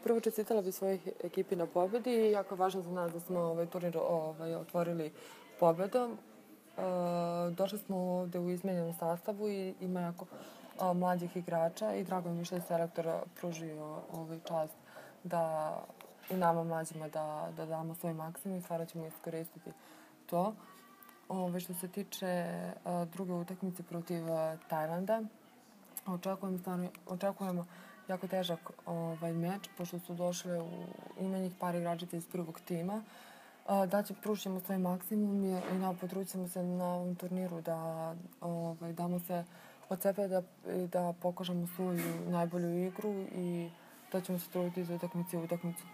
Prvo čestitala bi svojih ekipi na pobedi. Jako je važno za nas da smo ovaj turnir otvorili pobedom. Došli smo ovde u izmenjenom sastavu i ima jako mlađih igrača i drago mi je što je selektor pružio čast da i nama mlađima da damo svoj maksimum i stvarno ćemo iskoristiti to. Što se tiče druge utakmice protiv Tajlanda, očekujemo jako težak meč, pošto su došle ima njih par igračica iz prvog tima. Pružimo svoj maksimum i potrudit ćemo se na ovom turniru da damo se od sebe da pokažemo svoju najbolju igru i da ćemo se truditi za utakmicu.